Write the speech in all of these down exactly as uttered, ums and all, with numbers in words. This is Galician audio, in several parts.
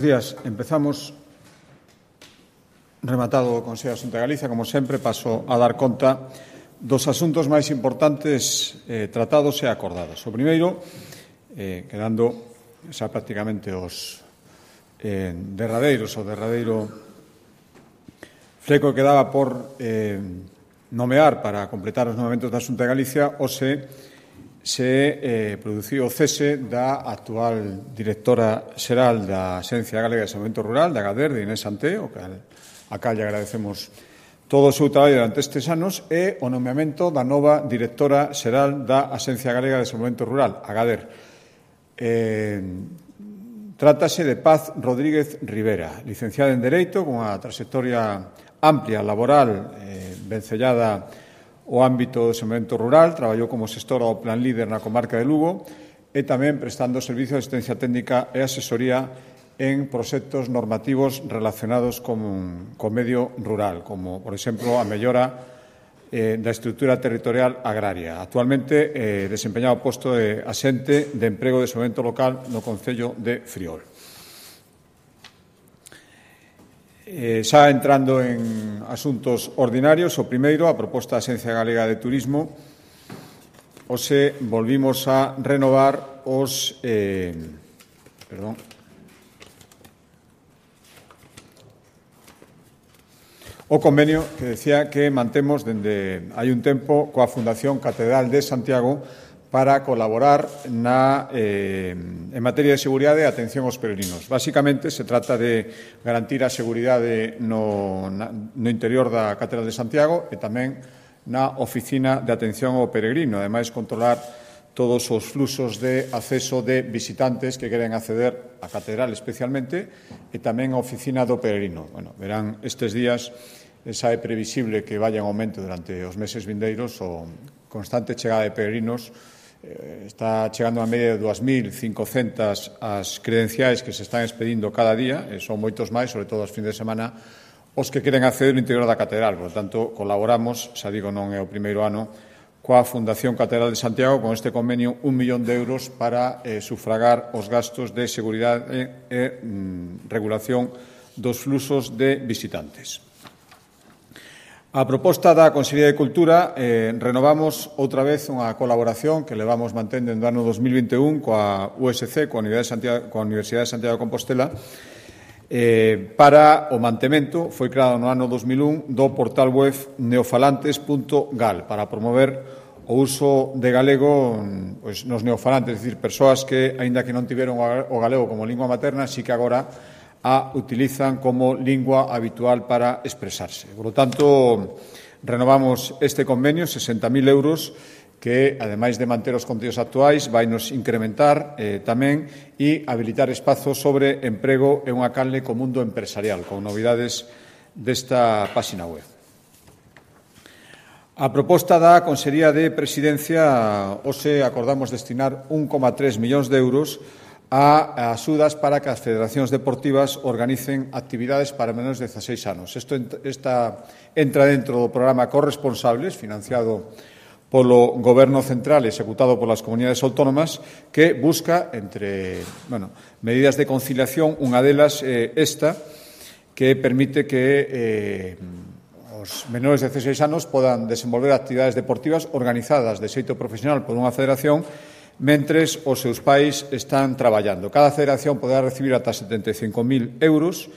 Días, empezamos rematado o Consello da Xunta de Galicia. Como sempre, paso a dar conta dos asuntos máis importantes eh, tratados e acordados. O primeiro, eh, quedando xa prácticamente os eh, derradeiros, o derradeiro fleco que daba por eh, nomear para completar os nomeamentos da Xunta de Galicia, o se se eh, produciu o cese da actual directora xeral da Axencia Galega de Desenvolvemento Rural, da GADER, de Inés Santé, o que a cal lle agradecemos todo o seu traballo durante estes anos, e o nomeamento da nova directora xeral da Axencia Galega de Desenvolvemento Rural, a GADER. Eh, trátase de Paz Rodríguez Rivera, licenciada en Dereito, con unha trayectoria amplia, laboral, eh, vencellada o ámbito do desenvolvemento rural, traballou como xestora do Plan Líder na comarca de Lugo e tamén prestando servicio de asistencia técnica e asesoría en proxectos normativos relacionados con o medio rural, como, por exemplo, a mellora eh, da estrutura territorial agraria. Actualmente eh, desempeñado o posto de axente de emprego de desenvolvemento local no Concello de Friol. Eh, xa entrando en asuntos ordinarios, o primeiro, a proposta da Axencia Galega de Turismo, hoxe volvimos a renovar os eh, perdón, o convenio que decía que mantemos dende hai un tempo coa Fundación Catedral de Santiago para colaborar na, eh, en materia de seguridade e atención aos peregrinos. Básicamente, se trata de garantir a seguridade no, na, no interior da Catedral de Santiago e tamén na oficina de atención ao peregrino. Ademais, controlar todos os fluxos de acceso de visitantes que queren acceder á Catedral especialmente e tamén a oficina do peregrino. Bueno, verán estes días, xa é previsible que vaya en aumento durante os meses vindeiros o constante chegada de peregrinos. Está chegando a media de dúas mil cincocentas as credenciais que se están expedindo cada día, e son moitos máis, sobre todo os fins de semana, os que queren acceder ao interior da Catedral. Por tanto, colaboramos, xa digo, non é o primeiro ano, coa Fundación Catedral de Santiago con este convenio un millón de euros para eh, sufragar os gastos de seguridade e, e mm, regulación dos fluxos de visitantes. A proposta da Consellería de Cultura, eh, renovamos outra vez unha colaboración que levamos mantendo no ano dos mil vinte e un coa U S C, coa Universidade de Santiago, coa Universidade de Santiago de Compostela, eh, para o mantemento, foi creado no ano dos mil un, do portal web neofalantes punto gal, para promover o uso de galego pois, nos neofalantes, é dicir, persoas que, aínda que non tiveron o galego como lingua materna, sí que agora a utilizan como lingua habitual para expresarse. Por lo tanto, renovamos este convenio, sesenta mil euros, que, ademais de manter os contidos actuais, vai nos incrementar eh, tamén e habilitar espazos sobre emprego e unha canle co mundo empresarial, con novidades desta páxina web. A proposta da Consellería de Presidencia, hoxe acordamos destinar un coma tres millóns de euros a axudas para que as federacións deportivas organicen actividades para menores de dezaseis anos. Isto esta, entra dentro do programa Corresponsables, financiado polo Goberno Central e executado polas comunidades autónomas, que busca, entre bueno, medidas de conciliación, unha delas eh, esta, que permite que eh, os menores de dezaseis anos podan desenvolver actividades deportivas organizadas de xeito profesional por unha federación mentres os seus pais están traballando. Cada federación poderá recibir ata setenta e cinco mil euros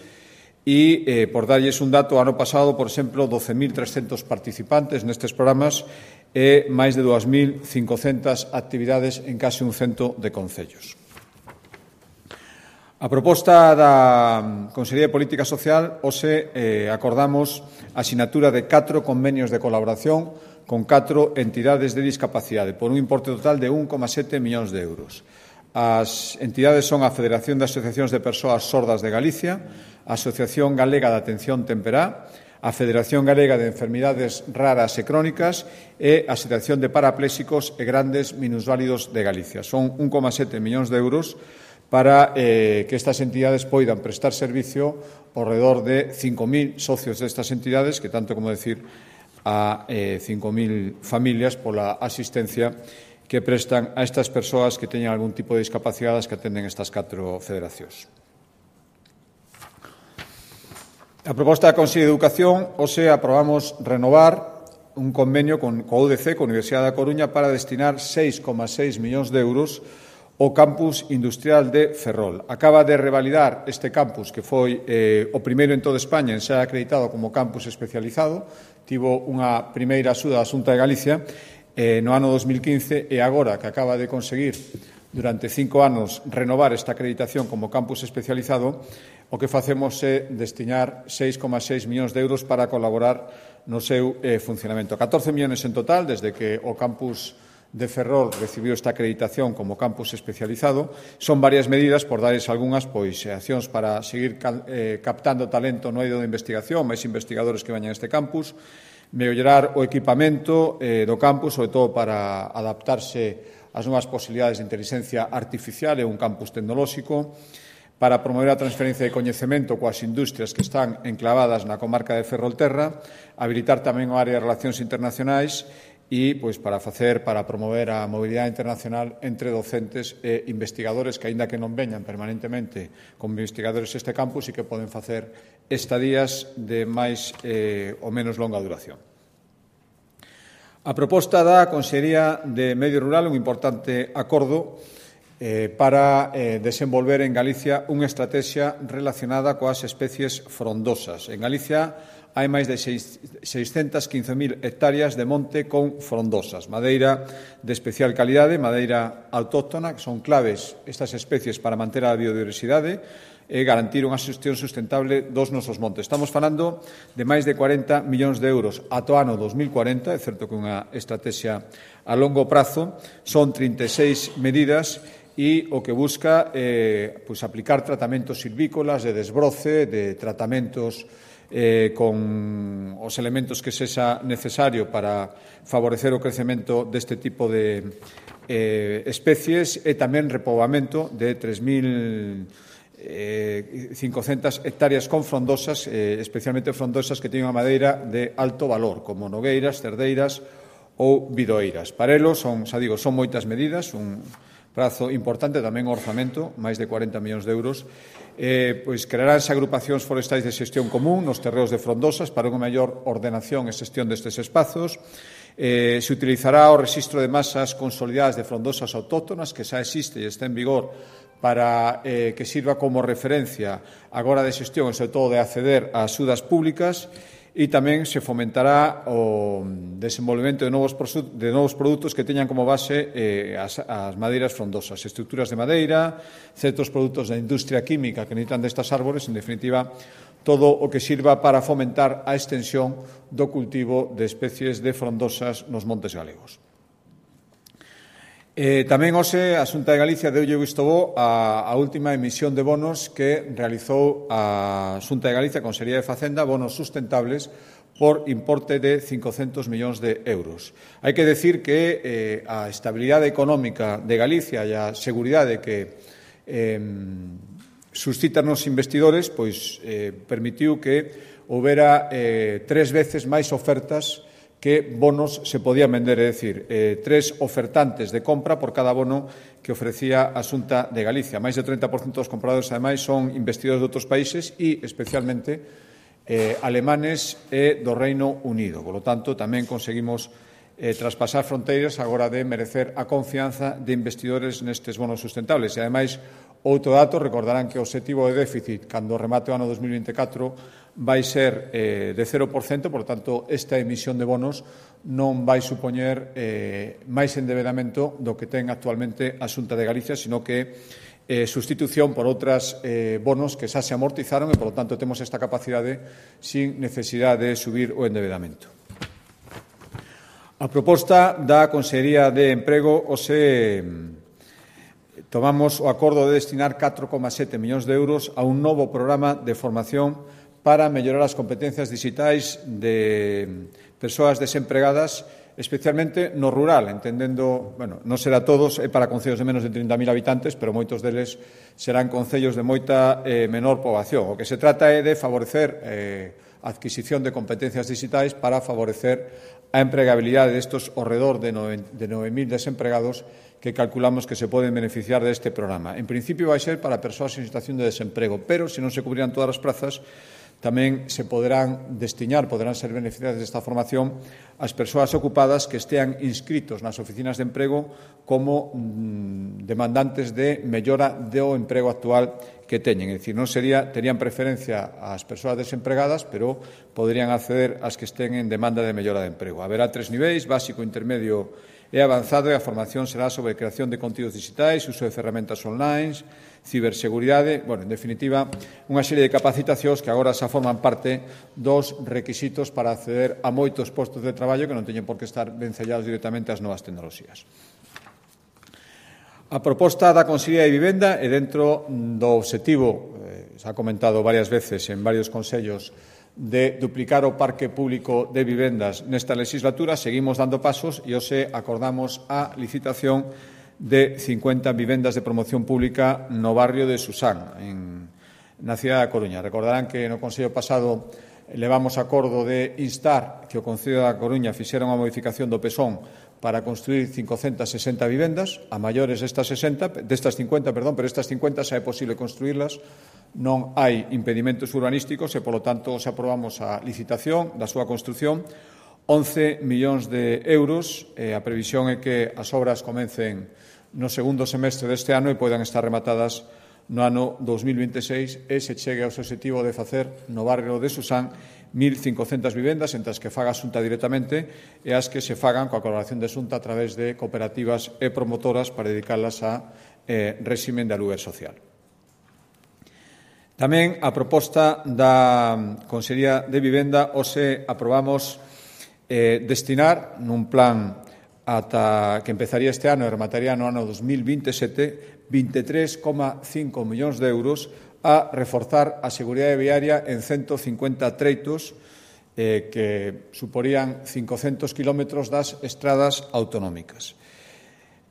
e, eh, por darlles un dato, ano pasado, por exemplo, doce mil trescentos participantes nestes programas e máis de dúas mil cincocentas actividades en case un cento de concellos. A proposta da Consellería de Política Social, hoxe eh, acordamos a sinatura de catro convenios de colaboración con catro entidades de discapacidade, por un importe total de un coma sete millóns de euros. As entidades son a Federación de Asociacións de Persoas Sordas de Galicia, a Asociación Galega de Atención Temperá, a Federación Galega de Enfermidades Raras e Crónicas e a Asociación de Parapléxicos e Grandes Minusválidos de Galicia. Son un coma sete millóns de euros para eh, que estas entidades poidan prestar servicio ao redor de cinco mil socios destas entidades, que tanto como decir a eh, cinco mil familias pola asistencia que prestan a estas persoas que teñen algún tipo de discapacidades que atenden estas catro federacións. A proposta da Consellería de Educación, hoxe aprobamos renovar un convenio con a U D C, con a Universidade da Coruña, para destinar seis coma seis millóns de euros ao campus industrial de Ferrol. Acaba de revalidar este campus, que foi eh, o primeiro en toda España en ser acreditado como campus especializado. Tivo unha primeira axuda da Xunta de Galicia eh, no ano dos mil quince e agora que acaba de conseguir durante cinco anos renovar esta acreditación como campus especializado, o que facemos é destinar seis coma seis millóns de euros para colaborar no seu eh, funcionamento. catorce millóns en total, desde que o campus de Ferrol recibiu esta acreditación como campus especializado. Son varias medidas, por darles algunhas, pois, accións para seguir eh, captando talento no eido de investigación, máis investigadores que veñan a este campus, mellorar o equipamento eh, do campus, sobre todo para adaptarse ás novas posibilidades de inteligencia artificial e un campus tecnolóxico, para promover a transferencia de coñecemento coas industrias que están enclavadas na comarca de Ferrolterra, habilitar tamén o área de relacións internacionais e pois, para facer, para promover a mobilidade internacional entre docentes e investigadores que, aínda que non veñan permanentemente como investigadores este campus, e que poden facer estadías de máis eh, ou menos longa duración. A proposta da Consellería de Medio Rural, un importante acordo Eh, para eh, desenvolver en Galicia unha estrategia relacionada coas especies frondosas. En Galicia hai máis de seiscentas quince mil hectáreas de monte con frondosas, madeira de especial calidade, madeira autóctona, que son claves estas especies para manter a biodiversidade e garantir unha xestión sustentable dos nosos montes. Estamos falando de máis de cuarenta millóns de euros ata o ano dos mil cuarenta, é certo que unha estrategia a longo prazo, son trinta e seis medidas e o que busca é eh, pues, aplicar tratamentos silvícolas de desbroce, de tratamentos eh, con os elementos que sexa necesario para favorecer o crecemento deste tipo de eh, especies e tamén repoboamento de tres mil cincocentas hectáreas con frondosas, eh, especialmente frondosas que teñen unha madeira de alto valor, como nogueiras, cerdeiras ou bidoeiras. Para elo, son, xa digo, son moitas medidas, un prazo importante, tamén o orzamento, máis de cuarenta millóns de euros, eh, pois crearánse agrupacións forestais de xestión común nos terreos de frondosas para unha maior ordenación e xestión destes espazos. Eh, se utilizará o rexistro de masas consolidadas de frondosas autóctonas, que xa existe e está en vigor, para eh, que sirva como referencia agora de xestión e, sobre todo, de acceder a axudas públicas. E tamén se fomentará o desenvolvemento de novos, de novos produtos que teñan como base eh, as, as madeiras frondosas, estruturas de madeira, certos produtos da industria química que necesitan destas árbores, en definitiva, todo o que sirva para fomentar a extensión do cultivo de especies de frondosas nos montes galegos. Eh, tamén hoxe a Xunta de Galicia deulle visto bo a, a última emisión de bonos que realizou a Xunta de Galicia, a Consellería de Facenda, bonos sustentables por importe de cincocentos millóns de euros. Hai que decir que eh, a estabilidade económica de Galicia e a seguridade que eh, suscitan os investidores pois eh, permitiu que houbera eh, tres veces máis ofertas que bonos se podían vender, é dicir, eh, tres ofertantes de compra por cada bono que ofrecía a Xunta de Galicia. Máis do treinta por cento dos compradores, ademais, son investidores de outros países e, especialmente, eh, alemanes e do Reino Unido. Por lo tanto, tamén conseguimos eh, traspasar fronteiras agora de merecer a confianza de investidores nestes bonos sustentables. E, ademais, outro dato, recordarán que o obxectivo de déficit, cando remate o ano dos mil vinte e catro, vai ser eh, de cero por cento, por tanto, esta emisión de bonos non vai supoñer eh, máis endevedamento do que ten actualmente a Xunta de Galicia, sino que eh, sustitución por outras eh, bonos que xa se amortizaron e, por lo tanto, temos esta capacidade sin necesidade de subir o endevedamento. A proposta da Consellería de Emprego hoxe tomamos o acordo de destinar catro coma sete millóns de euros a un novo programa de formación para mellorar as competencias digitais de persoas desempregadas, especialmente no rural, entendendo, bueno, non será todos, é para concellos de menos de trinta mil habitantes, pero moitos deles serán concellos de moita eh, menor poboación. O que se trata é de favorecer eh, a adquisición de competencias digitais para favorecer a empregabilidade destos ao redor de nove mil desempregados que calculamos que se poden beneficiar deste programa. En principio vai ser para persoas en situación de desemprego, pero se non se cubrirán todas as prazas, tamén se poderán destinar, poderán ser beneficiadas desta formación as persoas ocupadas que estean inscritos nas oficinas de emprego como mm, demandantes de mellora do emprego actual que teñen. É dicir, non sería, terían preferencia ás persoas desempregadas, pero poderían acceder ás que estén en demanda de mellora de emprego. Haberá tres niveis, básico, intermedio e avanzado, e a formación será sobre creación de contidos digitais, uso de ferramentas online, ciberseguridade, bueno, en definitiva, unha serie de capacitacións que agora xa forman parte dos requisitos para acceder a moitos postos de traballo que non teñen por que estar vencellados directamente ás novas tecnoloxías. A proposta da Consellería de Vivenda é dentro do obxectivo, eh, se ha comentado varias veces en varios consellos, de duplicar o parque público de vivendas nesta legislatura. Seguimos dando pasos e hoxe acordamos a licitación de cincuenta vivendas de promoción pública no barrio de Susán, en, na cidade da Coruña. Recordarán que no Consello pasado levamos acordo de instar que o Concello da Coruña fixera unha modificación do PESón para construir cincocentas sesenta vivendas, a maiores destas sesenta, destas cincuenta, perdón, pero estas cincuenta xa é posible construírlas, non hai impedimentos urbanísticos e, polo tanto, se aprobamos a licitación da súa construción, once millóns de euros, e a previsión é que as obras comencen no segundo semestre deste ano e poidan estar rematadas no ano dos mil veintiséis e se chegue ao obxectivo de facer no barrio de Susán mil cincocentas vivendas, entre as que faga a Xunta directamente e as que se fagan coa colaboración de Xunta a través de cooperativas e promotoras para dedicarlas a eh, réximen de aluguer social. Tamén a proposta da Consellería de Vivenda hoxe aprobamos eh, destinar nun plan ata que empezaría este ano e remataría no ano dos mil veintisiete vinte e tres coma cinco millóns de euros a reforzar a seguridade viaria en ciento cincuenta treitos eh, que suporían cincocentos kilómetros das estradas autonómicas.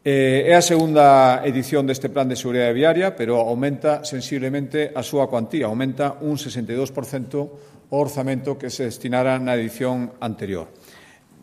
Eh, é a segunda edición deste plan de seguridade viaria, pero aumenta sensiblemente a súa cuantía, aumenta un sesenta e dous por cento o orzamento que se destinara na edición anterior.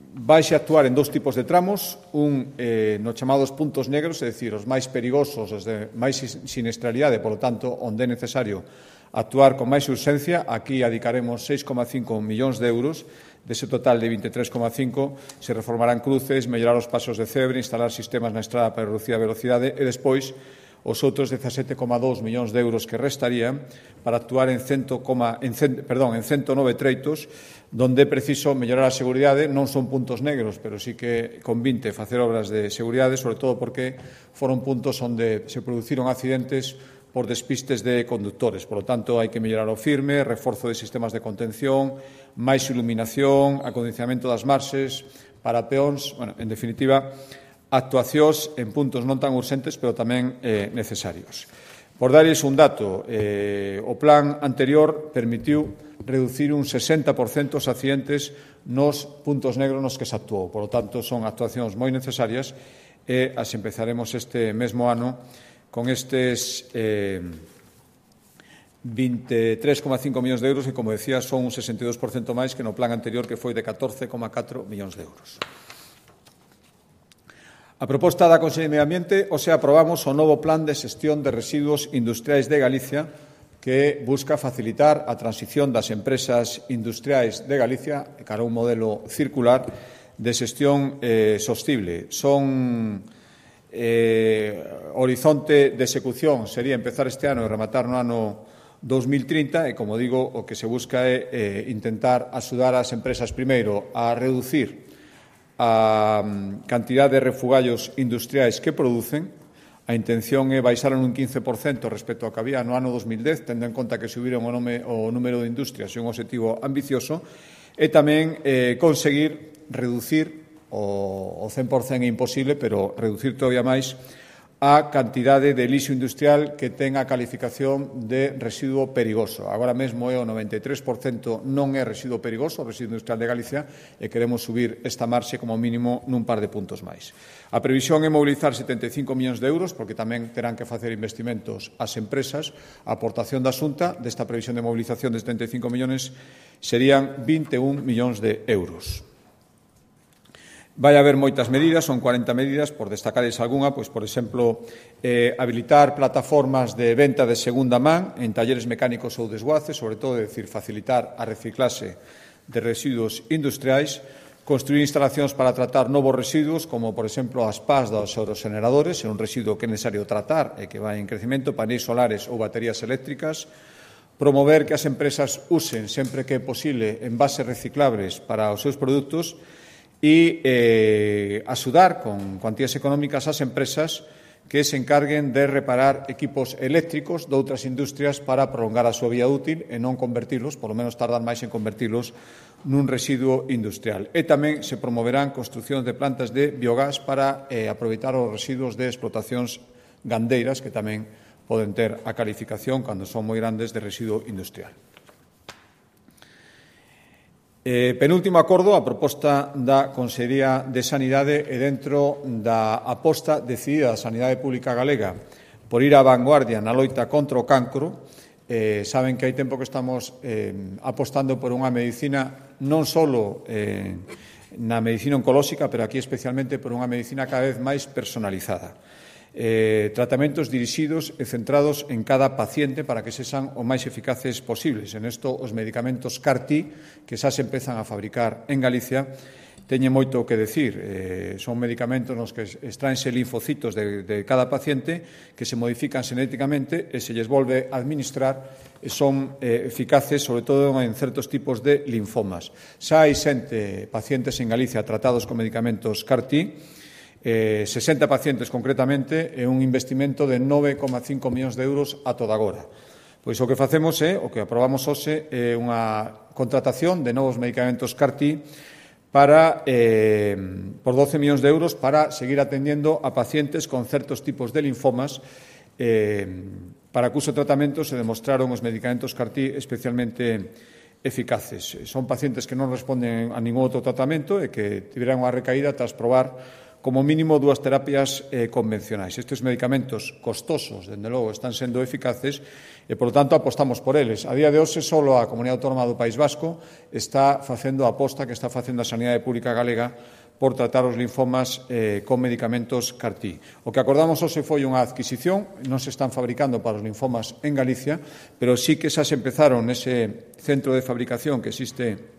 Vaise a actuar en dous tipos de tramos, un eh, nos chamados puntos negros, é dicir, os máis perigosos, os de máis siniestralidade, polo tanto, onde é necesario actuar con máis urxencia. Aquí adicaremos seis coma cinco millóns de euros. Dese total de vinte e tres coma cinco se reformarán cruces, mellorar os pasos de cebre, instalar sistemas na estrada para reducir a velocidade e despois os outros dezasete coma dous millóns de euros que restarían para actuar en, cento, en, perdón, en ciento nove treitos donde é preciso mellorar a seguridade. Non son puntos negros, pero sí que convinte facer obras de seguridade, sobre todo porque foron puntos onde se produciron accidentes por despistes de conductores. Por lo tanto, hai que mellorar o firme, reforzo de sistemas de contención, máis iluminación, acondicionamento das marxes para peóns, bueno, en definitiva, actuacións en puntos non tan urxentes, pero tamén eh, necesarios. Por darles un dato, eh, o plan anterior permitiu reducir un sesenta por cento os accidentes nos puntos negros nos que se actuou. Por lo tanto, son actuacións moi necesarias e as empezaremos este mesmo ano con estes eh, vinte e tres coma cinco millóns de euros que, como decía, son un sesenta e dous por cento máis que no plan anterior, que foi de catorce coma catro millóns de euros. A proposta da Consellería de Medio Ambiente, hoxe aprobamos o novo Plan de Xestión de Residuos Industriais de Galicia, que busca facilitar a transición das empresas industriais de Galicia cara a un modelo circular de xestión eh, sostible. Son eh, horizonte de execución sería empezar este ano e rematar no ano dos mil trinta e, como digo, o que se busca é eh, intentar axudar ás empresas primeiro a reducir a cantidad de refugallos industriais que producen. A intención é baixar en un quince por cento respecto ao que había no ano dos mil dez, tendo en conta que subiron o, nome, o número de industrias e un objetivo ambicioso, e tamén eh, conseguir reducir o, o cen por cento é imposible, pero reducir todavía máis a cantidade de lixo industrial que ten a calificación de residuo perigoso. Agora mesmo é o noventa e tres por cento non é residuo perigoso, o residuo industrial de Galicia, e queremos subir esta marxe como mínimo nun par de puntos máis. A previsión é mobilizar setenta e cinco millóns de euros, porque tamén terán que facer investimentos as empresas. A aportación da Xunta desta previsión de mobilización de setenta e cinco millóns serían vinte e un millóns de euros. Vai haber moitas medidas, son cuarenta medidas, por destacarles algunha, pois, por exemplo, eh, habilitar plataformas de venta de segunda man en talleres mecánicos ou desguaces, sobre todo, é dicir, facilitar a reciclase de residuos industriais, construir instalacións para tratar novos residuos, como, por exemplo, as pás dos aerogeneradores, é un residuo que é necesario tratar e que vai en crecemento, paneis solares ou baterías eléctricas, promover que as empresas usen, sempre que é posible, envases reciclables para os seus produtos e eh, axudar con cuantías económicas ás empresas que se encarguen de reparar equipos eléctricos de outras industrias para prolongar a súa vida útil e non convertilos, polo menos tardar máis en convertilos, nun residuo industrial. E tamén se promoverán construcións de plantas de biogás para eh, aproveitar os residuos de explotacións gandeiras que tamén poden ter a calificación, cando son moi grandes, de residuo industrial. Eh, penúltimo acordo, a proposta da Consellería de Sanidade e dentro da aposta decidida da Sanidade Pública Galega por ir á vanguardia na loita contra o cancro. Eh, saben que hai tempo que estamos eh, apostando por unha medicina non só eh, na medicina oncolóxica, pero aquí especialmente por unha medicina cada vez máis personalizada. Eh, tratamentos dirixidos e centrados en cada paciente para que sexan o máis eficaces posibles. En isto, os medicamentos C A R T, que xa se empezan a fabricar en Galicia, teñen moito que decir. Eh, son medicamentos nos que extraense linfocitos de, de cada paciente que se modifican xenéticamente e se lles volve a administrar e son eh, eficaces, sobre todo en certos tipos de linfomas. Xa hai xente, pacientes en Galicia tratados con medicamentos C A R T, Eh, sesenta pacientes concretamente e un investimento de nove coma cinco millóns de euros a toda agora. Pois o que facemos é, o que aprobamos hoxe, é unha contratación de novos medicamentos C A R T para, eh, por doce millóns de euros para seguir atendiendo a pacientes con certos tipos de linfomas eh, para cuso tratamento se demostraron os medicamentos C A R T especialmente eficaces. Son pacientes que non responden a ningún outro tratamento e que tiveran unha recaída tras probar como mínimo dúas terapias eh, convencionais. Estes medicamentos costosos, dende logo, están sendo eficaces e, por lo tanto, apostamos por eles. A día de hoxe, só a Comunidade Autónoma do País Vasco está facendo a aposta que está facendo a Sanidade Pública Galega por tratar os linfomas eh, con medicamentos C A R T. O que acordamos hoxe foi unha adquisición, non se están fabricando para os linfomas en Galicia, pero sí que xa se empezaron nese centro de fabricación que existe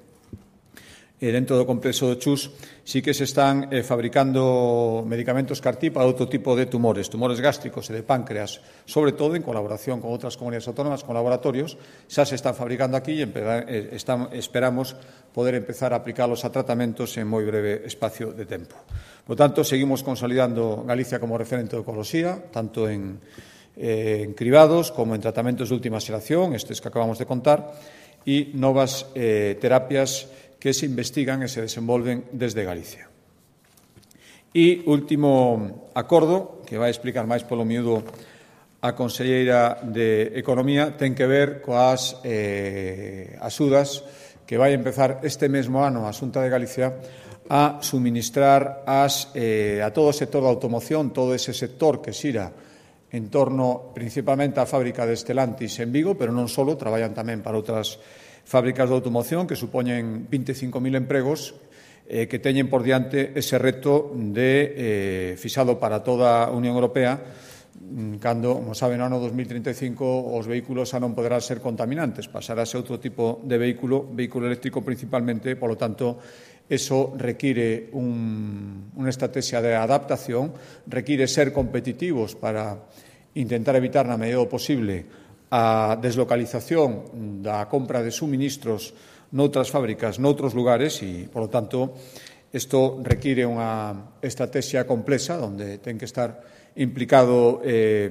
E dentro do complexo do Chus sí que se están eh, fabricando medicamentos C A R T para outro tipo de tumores, tumores gástricos e de páncreas, sobre todo en colaboración con outras comunidades autónomas, con laboratorios, xa se están fabricando aquí e eh, están, esperamos poder empezar a aplicalos a tratamentos en moi breve espacio de tempo. Por tanto, seguimos consolidando Galicia como referente de oncoloxía, tanto en, eh, en cribados como en tratamentos de última xeración, estes que acabamos de contar, e novas eh, terapias que se investigan e se desenvolven desde Galicia. E último acordo, que vai explicar máis polo miúdo a Conselleira de Economía, ten que ver coas eh, axudas que vai empezar este mesmo ano a Xunta de Galicia a suministrar as, eh, a todo o sector da automoción, todo ese sector que xira en torno principalmente á fábrica de Stellantis en Vigo, pero non só, traballan tamén para outras fábricas de automoción que supoñen vinte e cinco mil empregos eh, que teñen por diante ese reto de eh, fixado para toda a Unión Europea cando, como saben, no ano dos mil trinta e cinco os vehículos xa non poderán ser contaminantes, pasará a ser outro tipo de vehículo, vehículo eléctrico principalmente, polo tanto, eso require un, unha estrategia de adaptación, require ser competitivos para intentar evitar na medida do posible a deslocalización da compra de suministros noutras fábricas, noutros lugares e, polo tanto, isto require unha estrategia complexa onde ten que estar implicado eh,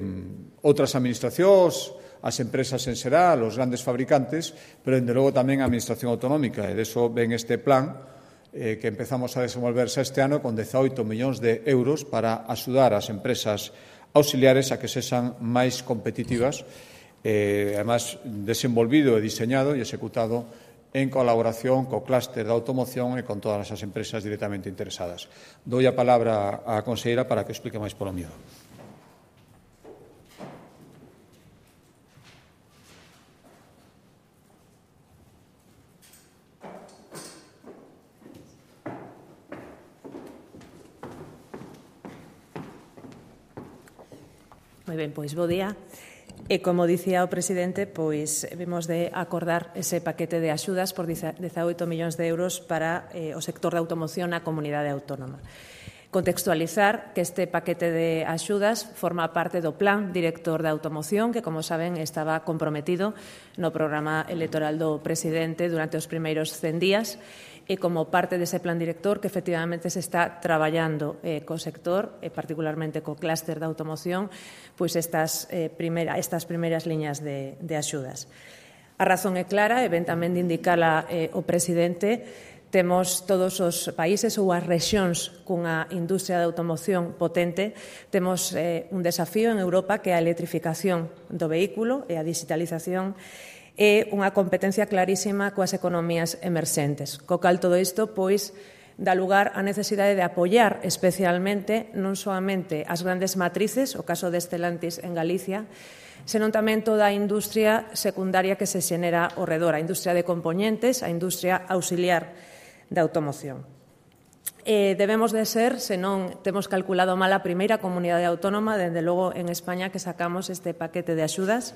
outras administracións, as empresas en xeral, os grandes fabricantes, pero, dende logo, tamén a Administración Autonómica. E deso ven este plan eh, que empezamos a desenvolverse este ano con dezaoito millóns de euros para axudar as empresas auxiliares a que sexan máis competitivas, eh, además desenvolvido e diseñado e executado en colaboración co clúster da automoción e con todas as empresas directamente interesadas. Doi a palabra á conselleira para que explique máis polo miúdo. Moi ben, pois bo día. E, como dicía o presidente, pois vimos de acordar ese paquete de axudas por dezaoito millóns de euros para eh, o sector da automoción na comunidade autónoma. Contextualizar que este paquete de axudas forma parte do Plan Director da Automoción, que, como saben, estaba comprometido no programa electoral do presidente durante os primeiros cen días, e como parte dese plan director que efectivamente se está traballando eh, co sector, e particularmente co clúster da automoción, pois estas, eh, primera, estas primeiras liñas de, de axudas. A razón é clara, e ben tamén de indicala eh, o presidente, temos todos os países ou as rexións cunha industria de automoción potente, temos eh, un desafío en Europa que é a electrificación do vehículo e a digitalización e unha competencia clarísima coas economías emerxentes. Co cal todo isto, pois, dá lugar á necesidade de apoiar especialmente non soamente as grandes matrices, o caso de Stellantis en Galicia, senón tamén toda a industria secundaria que se xenera ao redor, a industria de componentes, a industria auxiliar da automoción. Eh, debemos de ser, se non temos calculado mal, a primeira comunidade autónoma, dende logo en España, que sacamos este paquete de axudas.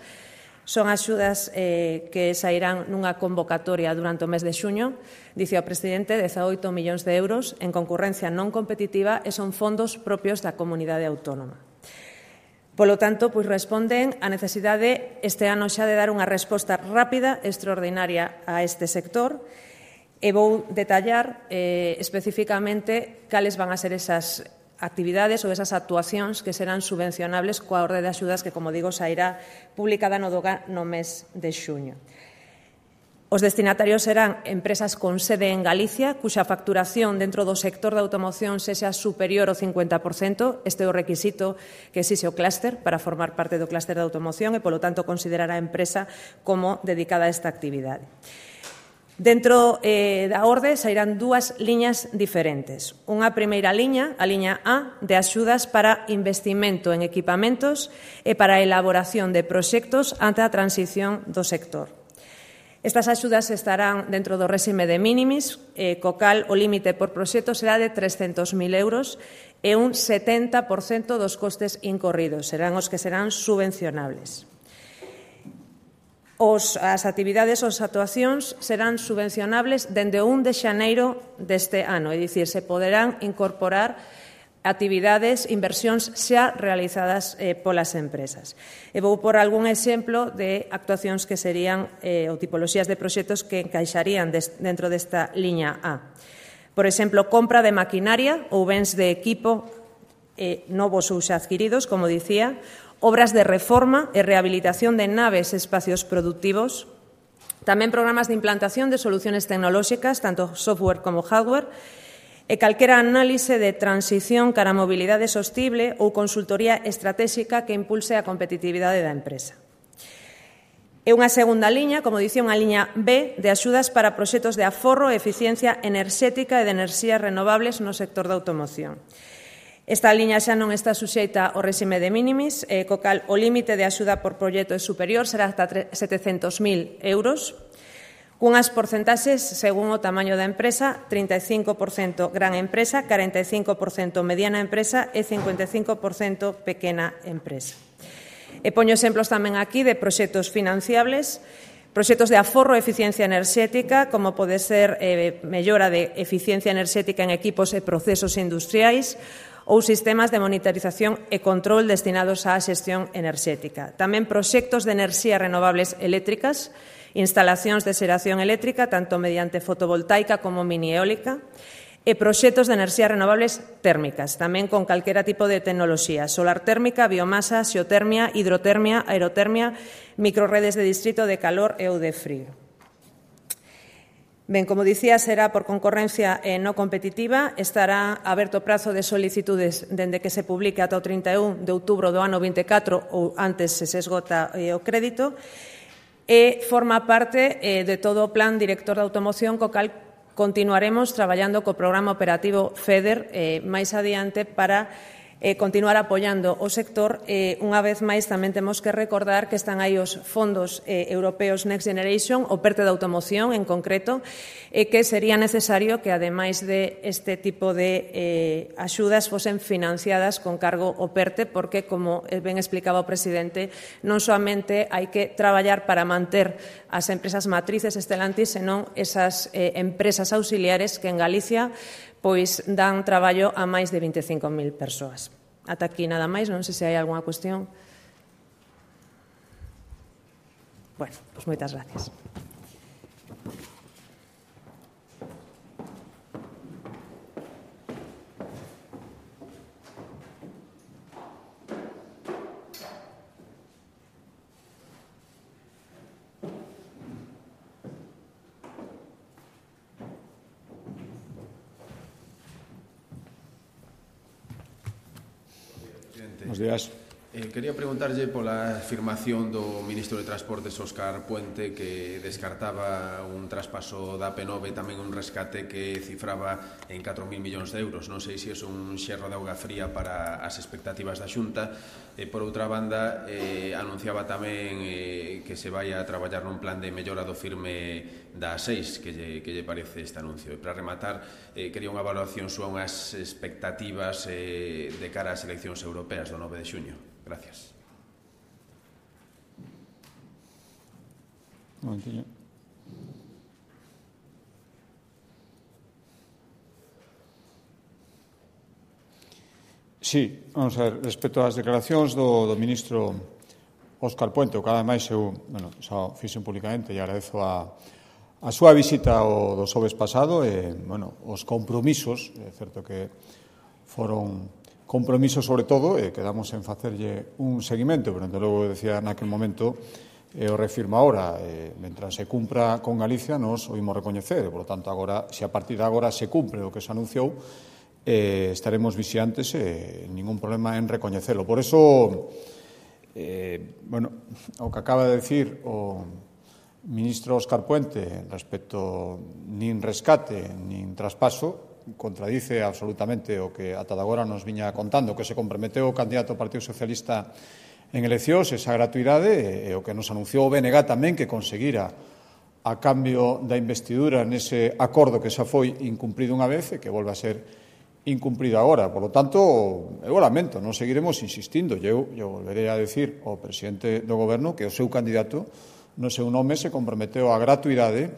Son axudas eh, que sairán nunha convocatoria durante o mes de xuño, dice o presidente, dezaoito millóns de euros en concurrencia non competitiva e son fondos propios da comunidade autónoma. Polo tanto, pois responden á necesidade este ano xa de dar unha resposta rápida e extraordinaria a este sector e vou detallar eh, especificamente cales van a ser esas actividades ou esas actuacións que serán subvencionables coa orde de axudas que, como digo, sairá publicada no DOGA no mes de xuño. Os destinatarios serán empresas con sede en Galicia, cuxa facturación dentro do sector da automoción sexa superior ao cincuenta por cento. Este é o requisito que exixe o clúster para formar parte do clúster da automoción e, polo tanto, considerar a empresa como dedicada a esta actividade. Dentro eh, da orde sairán dúas liñas diferentes. Unha primeira liña, a liña A, de axudas para investimento en equipamentos e para a elaboración de proxectos ante a transición do sector. Estas axudas estarán dentro do réxime de minimis, eh, co cal o límite por proxecto será de trescentos mil euros e un setenta por cento dos costes incorridos serán os que serán subvencionables. Os, as actividades ou as actuacións serán subvencionables dende o un de xaneiro deste ano, é dicir, se poderán incorporar actividades, inversións xa realizadas eh, polas empresas. E vou por algún exemplo de actuacións que serían eh, ou tipoloxías de proxectos que encaixarían des, dentro desta liña A. Por exemplo, compra de maquinaria ou bens de equipo eh, novos ou xa adquiridos, como dicía, obras de reforma e rehabilitación de naves e espacios productivos, tamén programas de implantación de soluciones tecnolóxicas, tanto software como hardware, e calquera análise de transición cara a mobilidade sostible ou consultoría estratégica que impulse a competitividade da empresa. E unha segunda liña, como dicía, unha liña B de axudas para proxectos de aforro e eficiencia enerxética e de enerxías renovables no sector da automoción. Esta liña xa non está suxeita ao réxime de minimis, eh, co cal o límite de axuda por proxecto é superior, será hasta setecentos mil euros, cunhas porcentaxes según o tamaño da empresa, trinta e cinco por cento gran empresa, cuarenta e cinco por cento mediana empresa e cincuenta e cinco por cento pequena empresa. E poño exemplos tamén aquí de proxectos financiables, proxectos de aforro e eficiencia enerxética, como pode ser eh, mellora de eficiencia enerxética en equipos e procesos industriais, ou sistemas de monitorización e control destinados á xestión enerxética. Tamén proxectos de enerxías renovables eléctricas, instalacións de xeración eléctrica, tanto mediante fotovoltaica como mini eólica, e proxectos de enerxías renovables térmicas, tamén con calquera tipo de tecnoloxía, solar térmica, biomasa, xeotermia, hidrotermia, aerotermia, microredes de distrito de calor e ou de frío. Ben, como dicía, será por concorrencia eh, non competitiva, estará aberto o prazo de solicitudes dende que se publique ata o trinta e un de outubro do ano vinte e catro ou antes se se esgota eh, o crédito, e forma parte eh, de todo o plan director de automoción, co cal continuaremos traballando co programa operativo FEDER eh, máis adiante para eh, continuar apoiando o sector. Eh, unha vez máis, tamén temos que recordar que están aí os fondos eh, europeos Next Generation, o PERTE de automoción en concreto, e eh, que sería necesario que, ademais de este tipo de eh, axudas, fosen financiadas con cargo ao PERTE, porque, como ben explicaba o presidente, non soamente hai que traballar para manter as empresas matrices Stellantis, senón esas eh, empresas auxiliares que en Galicia pois dan traballo a máis de vinte e cinco mil persoas. Ata aquí nada máis, non sei se hai algunha cuestión. Bueno, pois moitas gracias. Buenos días. Eh, quería preguntarlle pola afirmación do ministro de Transportes, Óscar Puente, que descartaba un traspaso da A P nove e tamén un rescate que cifraba en catro mil millóns de euros. Non sei se é un xerro de auga fría para as expectativas da Xunta. E, por outra banda, eh, anunciaba tamén eh, que se vai a traballar nun plan de mellora do firme da A seis, que lle, que lle parece este anuncio. E, para rematar, eh, quería unha evaluación súa unhas expectativas eh, de cara ás eleccións europeas do nove de xuño. Gracias. Un momentillo. Sí, vamos a ver, respecto ás declaracións do, do ministro Óscar Puente, o que ademais eu, bueno, xa fixen públicamente e agradezo a, a súa visita o do xoves pasado e, bueno, os compromisos, é certo que foron compromiso sobre todo, e quedamos en facerlle un seguimento, pero, desde logo, decía naquel momento, e o refirma ahora, e, mentras se cumpra con Galicia, nos o imos recoñecer, e, por lo tanto, agora, se a partir de agora se cumpre o que se anunciou, eh, estaremos vixiantes e ningún problema en recoñecelo. Por eso, eh, bueno, o que acaba de decir o ministro Óscar Puente respecto nin rescate, nin traspaso, contradice absolutamente o que ata agora nos viña contando, que se comprometeu o candidato ao Partido Socialista en eleccións, esa gratuidade, e o que nos anunciou o B N G tamén, que conseguira a cambio da investidura nese acordo que xa foi incumprido unha vez e que volve a ser incumprido agora. Por lo tanto, eu lamento, non seguiremos insistindo. Eu, eu volverei a decir ao presidente do Goberno que o seu candidato no seu nome se comprometeu a gratuidade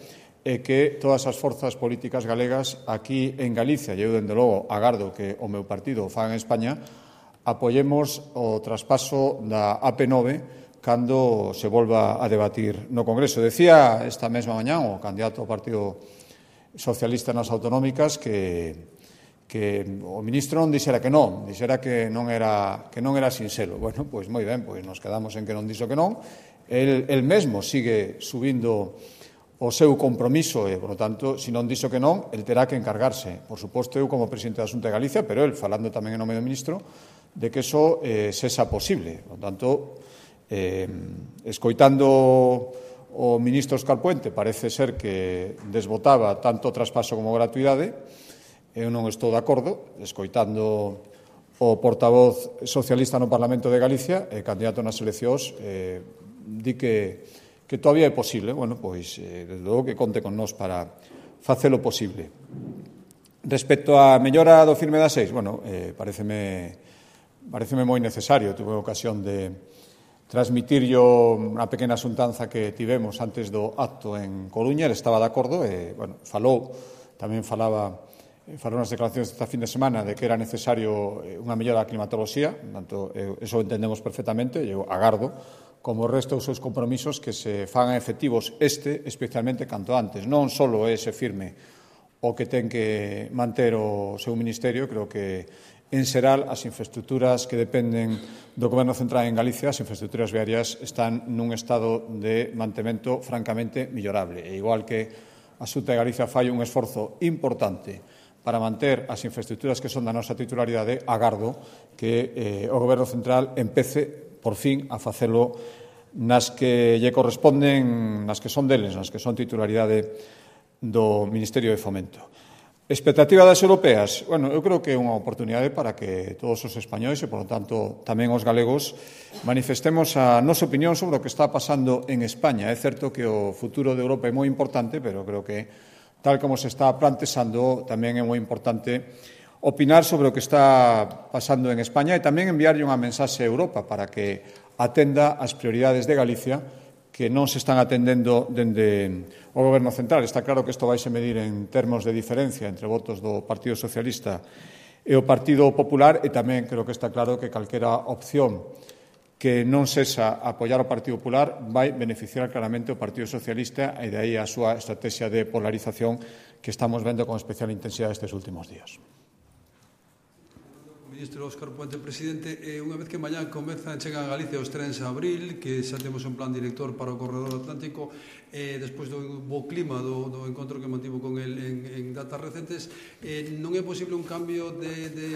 e que todas as forzas políticas galegas aquí en Galicia, e eu, dende logo, agardo que o meu partido o faga en España, apoyemos o traspaso da A P nove cando se volva a debatir no Congreso. Decía esta mesma mañá o candidato ao Partido Socialista nas autonómicas que, que o ministro non dixera que non, dixera que non era, que non era sinxelo. Bueno, pois moi ben, pois nos quedamos en que non dixo que non. El, el mesmo sigue subindo o seu compromiso e, por lo tanto, se non dixo que non, el terá que encargarse, por suposto, eu como presidente da Xunta de Galicia, pero el, falando tamén en nome do ministro, de que eso eh, sexa posible. Por lo tanto, eh, escoitando o ministro Óscar Puente, parece ser que desbotaba tanto o traspaso como a gratuidade. Eu non estou de acordo, escoitando o portavoz socialista no Parlamento de Galicia, e candidato nas eleccións, eh, di que que todavía é posible. Bueno, pois, eh, desde logo que conte con nós para facelo posible. Respecto á mellora do firme da seis, bueno, eh, pareceme, pareceme moi necesario. Tuve ocasión de transmitir yo unha pequena xuntanza que tivemos antes do acto en Coruña. Ele estaba de acordo e, bueno, falou, tamén falaba, falou nas declaracións desta fin de semana de que era necesario unha mellora da climatoloxía. Tanto, eso entendemos perfectamente, e eu agardo como o resto dos seus compromisos que se fagan efectivos este, especialmente canto antes. Non só é ese firme o que ten que manter o seu ministerio, creo que en xeral as infraestructuras que dependen do Goberno Central en Galicia, as infraestructuras viarias, están nun estado de mantemento francamente millorable. E igual que a Xunta de Galicia fai un esforzo importante para manter as infraestructuras que son da nosa titularidade, agardo que eh, o Goberno Central empece por fin a facelo nas que lle corresponden, nas que son deles, nas que son titularidade do Ministerio de Fomento. Expectativa das europeas? Bueno, eu creo que é unha oportunidade para que todos os españois e, por lo tanto, tamén os galegos manifestemos a nosa opinión sobre o que está pasando en España. É certo que o futuro de Europa é moi importante, pero creo que, tal como se está plantexando, tamén é moi importante opinar sobre o que está pasando en España e tamén enviarlle unha mensaxe a Europa para que atenda as prioridades de Galicia que non se están atendendo dende o Goberno central. Está claro que isto vai se medir en termos de diferencia entre votos do Partido Socialista e o Partido Popular e tamén creo que está claro que calquera opción que non sexa apoiar o Partido Popular vai beneficiar claramente o Partido Socialista e de aí a súa estrategia de polarización que estamos vendo con especial intensidade estes últimos días. Ministro Óscar Puente, presidente, eh, unha vez que mañá comezan, chegan a Galicia os trens a abril, que xa temos un plan director para o corredor atlántico, eh, despois do bo clima do, do encontro que mantivo con el en, en datas recentes, eh, non é posible un cambio de, de,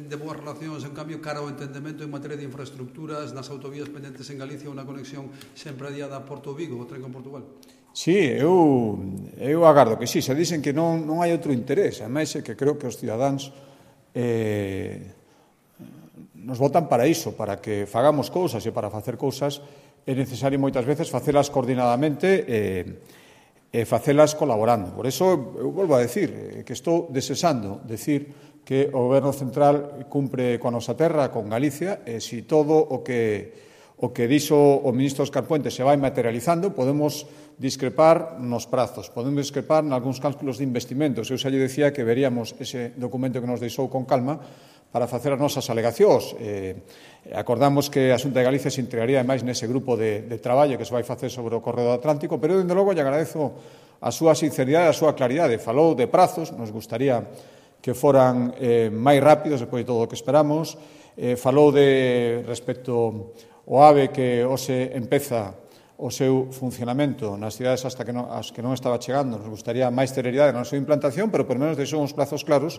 de boas relacións, un cambio cara ao entendemento en materia de infraestructuras nas autovías pendentes en Galicia, unha conexión sempre adiada a Porto Vigo, o tren con Portugal? Sí, eu, eu agardo que sí, se dicen que non, non hai outro interés, ademais é que creo que os cidadáns Eh, nos votan para iso, para que fagamos cousas e para facer cousas é necesario moitas veces facelas coordinadamente e, e facelas colaborando. Por eso eu volvo a decir que estou desexando decir que o Goberno central cumpre coa nosa terra, con Galicia, e se todo o que o que dixo o ministro Óscar Puente se vai materializando, podemos discrepar nos prazos, podemos discrepar en algúns cálculos de investimentos. Eu xa lle decía que veríamos ese documento que nos deixou con calma para facer as nosas alegacións. Eh, acordamos que a Xunta de Galicia se integraría máis nese grupo de, de traballo que se vai facer sobre o corredor atlántico, pero, dende logo, lle agradezo a súa sinceridade e a súa claridade. Falou de prazos, nos gustaría que foran eh, máis rápidos, depois de todo o que esperamos. Eh, falou de respecto o AVE que hoxe empeza o seu funcionamento nas cidades hasta que non, as que non estaba chegando. Nos gustaría máis celeridade na súa implantación, pero por menos deixou uns plazos claros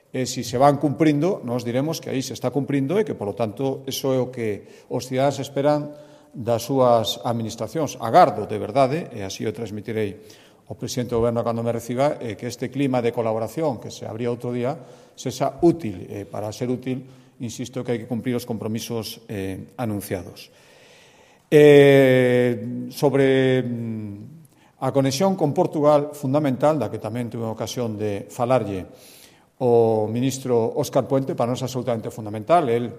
e se se van cumprindo, nos diremos que aí se está cumprindo e que, por lo tanto, eso é o que os cidadáns esperan das súas administracións. Agardo, de verdade, e así o transmitirei ao presidente do Goberno cando me reciba, eh, que este clima de colaboración que se abría outro día sexa útil. Eh, para ser útil, insisto que hai que cumprir os compromisos eh, anunciados. Eh, sobre a conexión con Portugal, fundamental, da que tamén tuve ocasión de falarlle o ministro Óscar Puente, para nós é absolutamente fundamental. El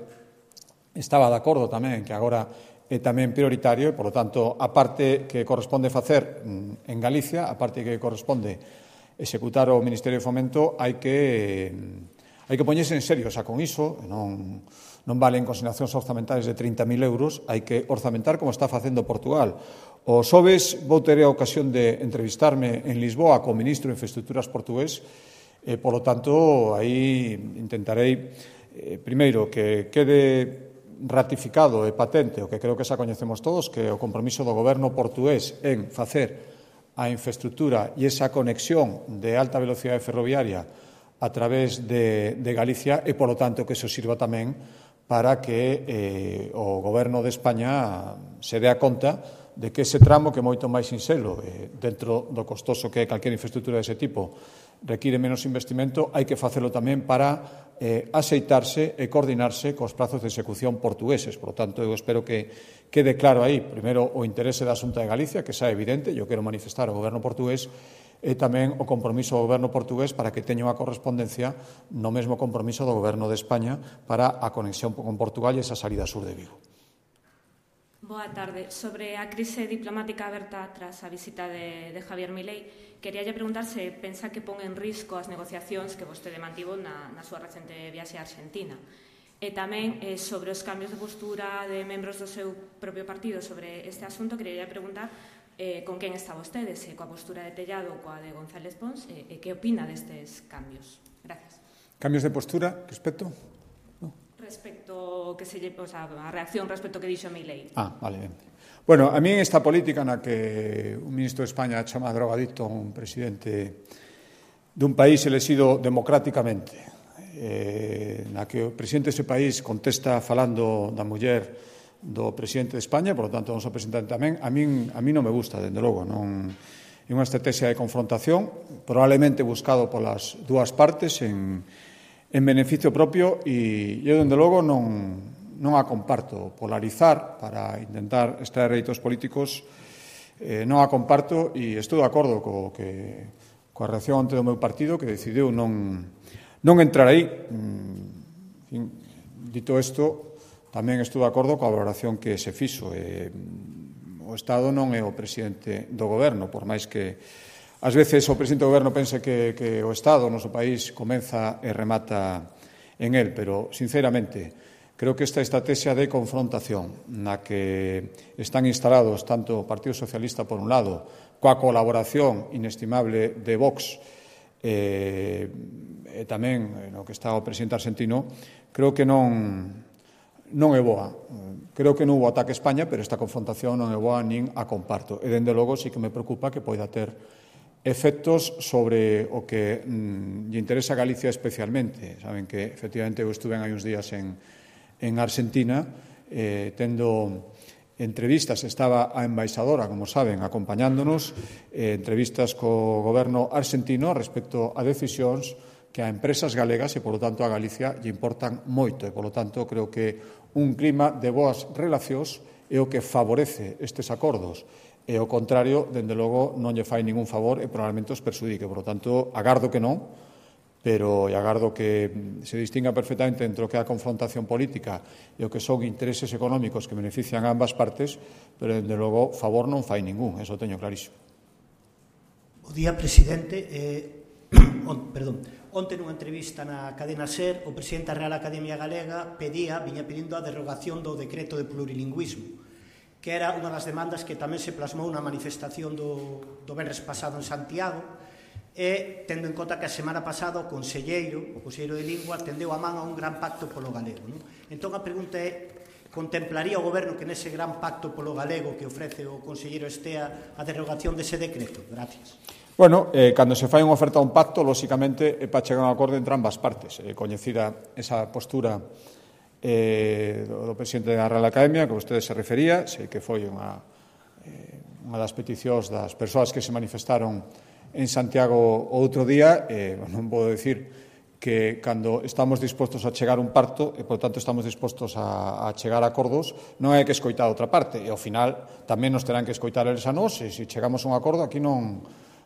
estaba de acordo tamén que agora é tamén prioritario e, por lo tanto, a parte que corresponde facer en Galicia, a parte que corresponde executar o Ministerio de Fomento, hai que... Hai que poñerse en serio xa con iso, non, non valen consignacións orzamentais de trinta mil euros, hai que orzamentar como está facendo Portugal. O xoves vou ter a ocasión de entrevistarme en Lisboa co ministro de Infraestructuras portugués, e, polo tanto, aí intentarei, eh, primeiro, que quede ratificado e patente o que creo que xa coñecemos todos, que o compromiso do goberno portugués en facer a infraestructura e esa conexión de alta velocidade ferroviaria a través de, de Galicia e, polo tanto, que eso sirva tamén para que eh, o Goberno de España se dea conta de que ese tramo, que é moito máis sinxelo, eh, dentro do costoso que é calquera infraestructura dese tipo, require menos investimento, hai que facelo tamén para eh, aceitarse e coordinarse cos prazos de execución portugueses. Por lo tanto, eu espero que quede claro aí, primeiro, o interese da Xunta de Galicia, que xa é evidente, eu quero manifestar ao Goberno portugués, e tamén o compromiso do Goberno portugués para que teña unha correspondencia no mesmo compromiso do Goberno de España para a conexión con Portugal e esa salida sur de Vigo. Boa tarde. Sobre a crise diplomática aberta tras a visita de, de Javier Milei, queríalle preguntar se pensa que pon en risco as negociacións que vostede mantivo na, na súa recente viaxe a Argentina. E tamén eh, sobre os cambios de postura de membros do seu propio partido sobre este asunto, queríalle preguntar Eh, con quen está vostede, se coa postura de Tellado ou coa de González Pons, e eh, que opina destes cambios. Gracias. Cambios de postura, respecto? No. Respecto que se lle, o sea, a reacción respecto que dixo Milei. Ah, vale, ben. Bueno, a mí esta política na que un ministro de España chama drogadicto a un presidente dun país elexido democráticamente, eh, na que o presidente dese país contesta falando da muller do presidente de España, por lo tanto, o noso presidente tamén, a min, a min non me gusta, dende logo, non... e unha estrategia de confrontación, probablemente buscado polas dúas partes en, en beneficio propio, e eu, dende logo, non, non a comparto. Polarizar para intentar extraer réditos políticos eh, non a comparto, e estou de acordo co que, coa reacción ante do meu partido, que decidiu non, non entrar aí. Dito isto, tamén estou de acordo coa valoración que se fixo. Eh, o Estado non é o presidente do goberno, por máis que ás veces o presidente do goberno pense que, que o Estado, o noso país, comeza e remata en él, pero, sinceramente, creo que esta estrategia de confrontación na que están instalados tanto o Partido Socialista, por un lado, coa colaboración inestimable de Vox, eh, e tamén no que está o presidente argentino, creo que non... non é boa. Creo que non hubo ataque a España, pero esta confrontación non é boa nin a comparto. E, dende logo, sí que me preocupa que poida ter efectos sobre o que mm, lle interesa a Galicia especialmente. Saben que, efectivamente, eu estuve hai uns días en, en Argentina, eh, tendo entrevistas, estaba a embaixadora, como saben, acompañándonos, eh, entrevistas co goberno argentino respecto a decisións que a empresas galegas e, polo tanto, a Galicia lle importan moito. E, polo tanto, creo que un clima de boas relacións é o que favorece estes acordos. E, ao contrario, dende logo, non lle fai ningún favor e probablemente os persudique. Por lo tanto, agardo que non, pero agardo que se distinga perfectamente entre o que é a confrontación política e o que son intereses económicos que benefician a ambas partes, pero, dende logo, favor non fai ningún. Eso teño clarísimo. Bo día, presidente. Eh, on, perdón. Onte nunha entrevista na cadena SER, o presidente da Real Academia Galega pedía, viña pedindo a derrogación do decreto de plurilingüismo, que era unha das demandas que tamén se plasmou na manifestación do, do venres pasado en Santiago, e tendo en conta que a semana pasada o conselleiro, o conselleiro de Lingua, tendeu a man a un gran pacto polo galego. Non? Entón a pregunta é, contemplaría o goberno que nese gran pacto polo galego que ofrece o conselleiro Estea a derrogación dese decreto? Gracias. Bueno, eh, cando se fai unha oferta a un pacto, lóxicamente, é para chegar a un acordo entre ambas partes. Eh, coñecida esa postura eh, do, do presidente da Real Academia, que vostede se refería, sei que foi unha, eh, unha das peticións das persoas que se manifestaron en Santiago o outro día. Eh, non podo dicir que cando estamos dispostos a chegar a un pacto e, por tanto, estamos dispostos a, a chegar a acordos, non hai que escoitar a outra parte. E, ao final, tamén nos terán que escoitar eles a nós, e se chegamos a un acordo, aquí non...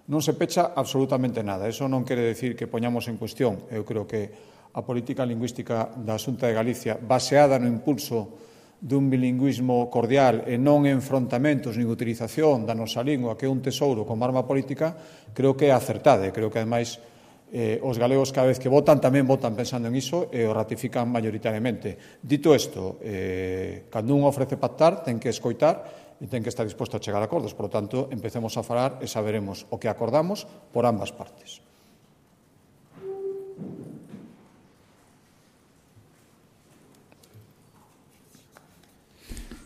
non se pecha absolutamente nada. Eso non quere decir que poñamos en cuestión. Eu creo que a política lingüística da Xunta de Galicia, baseada no impulso dun bilingüismo cordial e non enfrontamentos nin utilización da nosa lingua, que é un tesouro como arma política, creo que é acertada. Creo que, ademais, eh, os galegos cada vez que votan tamén votan pensando en iso e o ratifican maioritariamente. Dito isto, eh, cando un ofrece pactar, ten que escoitar e ten que estar disposto a chegar a acordos. Por lo tanto, empecemos a falar e saberemos o que acordamos por ambas partes.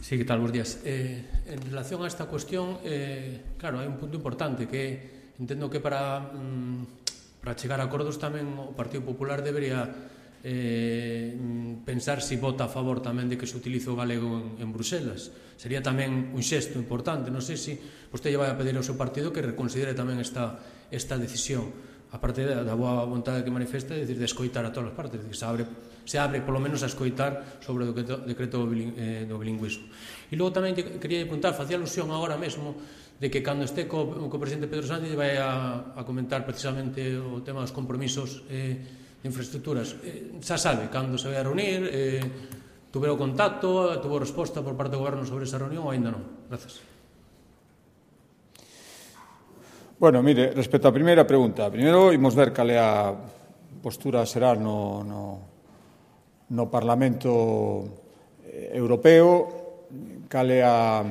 Sí, que tal? Bos días. Eh, en relación a esta cuestión, eh, claro, hai un punto importante que entendo que para, mm, para chegar a acordos tamén o Partido Popular debería eh, pensar se si vota a favor tamén de que se utilice o galego en, en Bruselas. Sería tamén un xesto importante. Non sei se vostede vai a pedir ao seu partido que reconsidere tamén esta, esta decisión, aparte da, da boa vontade que manifesta, de, de escoitar a todas as partes, que se abre, se abre polo menos a escoitar sobre o decreto, decreto eh, do bilingüismo. E logo tamén quería apuntar, facía alusión agora mesmo de que cando este co, co presidente Pedro Sánchez vai a, a comentar precisamente o tema dos compromisos eh, de infraestructuras. Eh, xa sabe cando se vai a reunir, eh, tuvero contacto, tuvo resposta por parte do goberno sobre esa reunión ou ainda non? Gracias. Bueno, mire, respecto á primeira pregunta, primeiro imos ver cal é a postura será no, no, no Parlamento Europeo, cal é a,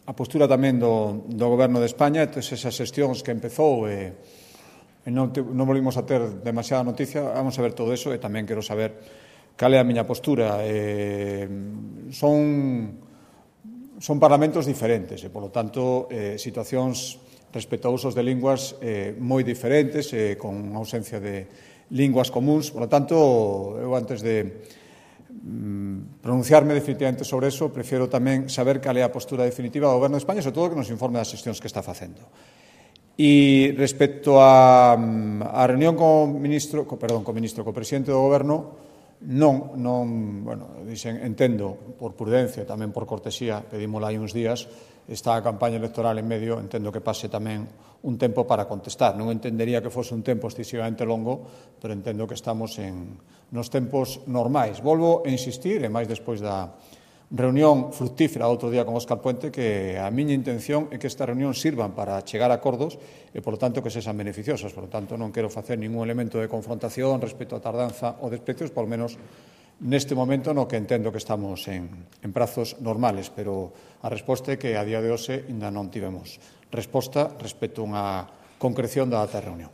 a postura tamén do, do Goberno de España, e esas xestións que empezou e, e non, te, non volvimos a ter demasiada noticia. Vamos a ver todo eso e tamén quero saber cal é a miña postura. Eh, son, son parlamentos diferentes e, polo tanto, eh, situacións respecto a usos de linguas eh, moi diferentes, eh, con ausencia de linguas comuns. Por lo tanto, eu antes de mm, pronunciarme definitivamente sobre eso, prefiero tamén saber cal é a postura definitiva do Goberno de España, sobre todo que nos informe das xestións que está facendo. E respecto a, a reunión co ministro, co, perdón, co ministro, co presidente do Goberno, non, non, bueno, dixen, entendo por prudencia, tamén por cortesía, pedímola hai uns días, está a campaña electoral en medio, entendo que pase tamén un tempo para contestar. Non entendería que fose un tempo excesivamente longo, pero entendo que estamos en nos tempos normais. Volvo a insistir, e máis despois da reunión fructífera outro día con Óscar Puente, que a miña intención é que esta reunión sirvan para chegar a acordos e, por lo tanto, que sexan beneficiosas. Por lo tanto, non quero facer ningún elemento de confrontación respecto a tardanza ou desprecios, por lo menos neste momento no que entendo que estamos en, en prazos normales, pero a resposta é que a día de hoxe ainda non tivemos resposta respecto a unha concreción da data de reunión.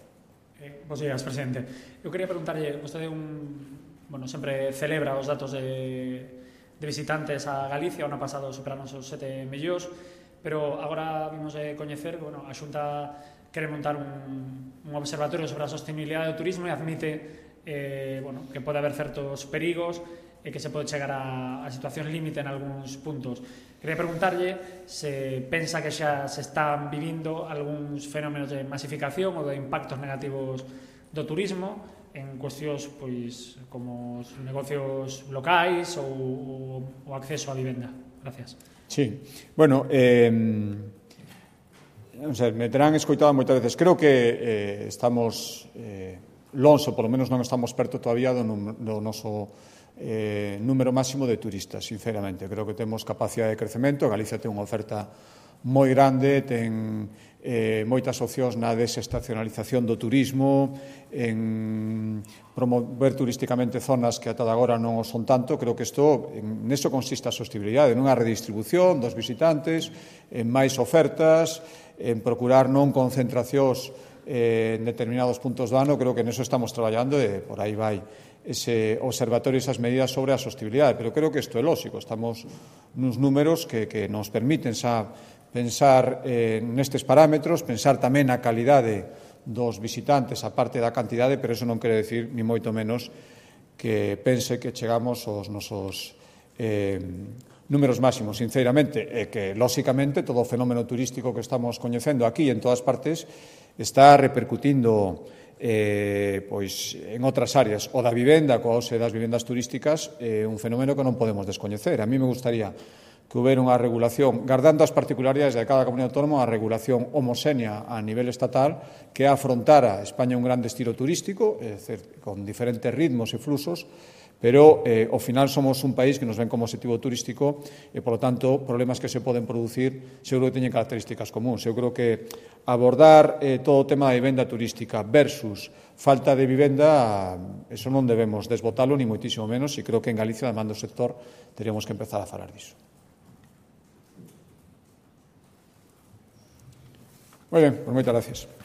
Eh, Bos días, presidente. Eu quería preguntarlle, vostede un, bueno, sempre celebra os datos de, de visitantes a Galicia, o ano pasado superaron os sete millóns, pero agora vimos de coñecer, bueno, a Xunta quere montar un, un observatorio sobre a sostenibilidade do turismo e admite Eh, bueno, que pode haber certos perigos e que se pode chegar a, a situacións límite en algúns puntos. Quería preguntarlle se pensa que xa se están vivindo algúns fenómenos de masificación ou de impactos negativos do turismo en cuestións pois, como os negocios locais ou o acceso á vivenda. Gracias. Sí, bueno, eh, non sei, me terán escoitado moitas veces. Creo que eh, estamos... Eh, lonxo, polo menos non estamos perto todavía do, do noso eh, número máximo de turistas, sinceramente. Creo que temos capacidade de crecemento. Galicia ten unha oferta moi grande, ten eh, moitas opcións na desestacionalización do turismo, en promover turísticamente zonas que ata agora non o son tanto. Creo que isto, en eso consiste a sostenibilidade, nunha redistribución dos visitantes, en máis ofertas, en procurar non concentracións en determinados puntos do ano. Creo que neso estamos traballando e por aí vai ese observatorio e esas medidas sobre a sostenibilidade. Pero creo que isto é lógico. Estamos nuns números que, que nos permiten xa pensar eh, nestes parámetros, pensar tamén na calidade dos visitantes, a parte da cantidade, pero eso non quere decir, ni moito menos, que pense que chegamos aos nosos eh, números máximos, sinceramente, e que, lóxicamente, todo o fenómeno turístico que estamos coñecendo aquí en todas partes está repercutindo eh, pois, en outras áreas. O da vivenda, coa ose das vivendas turísticas, é eh, un fenómeno que non podemos descoñecer. A mí me gustaría que houbera unha regulación, guardando as particularidades de cada comunidade autónoma, unha regulación homoxénea a nivel estatal que afrontara España un gran destino turístico, é dicir, con diferentes ritmos e fluxos, pero eh, ao final somos un país que nos ven como objetivo turístico e, por lo tanto, problemas que se poden producir seguro que teñen características comuns. Eu creo que abordar eh, todo o tema da vivenda turística versus falta de vivenda, eso non debemos desbotalo, ni moitísimo menos, e creo que en Galicia, además do sector, teríamos que empezar a falar disso. Moi ben, pues moitas gracias.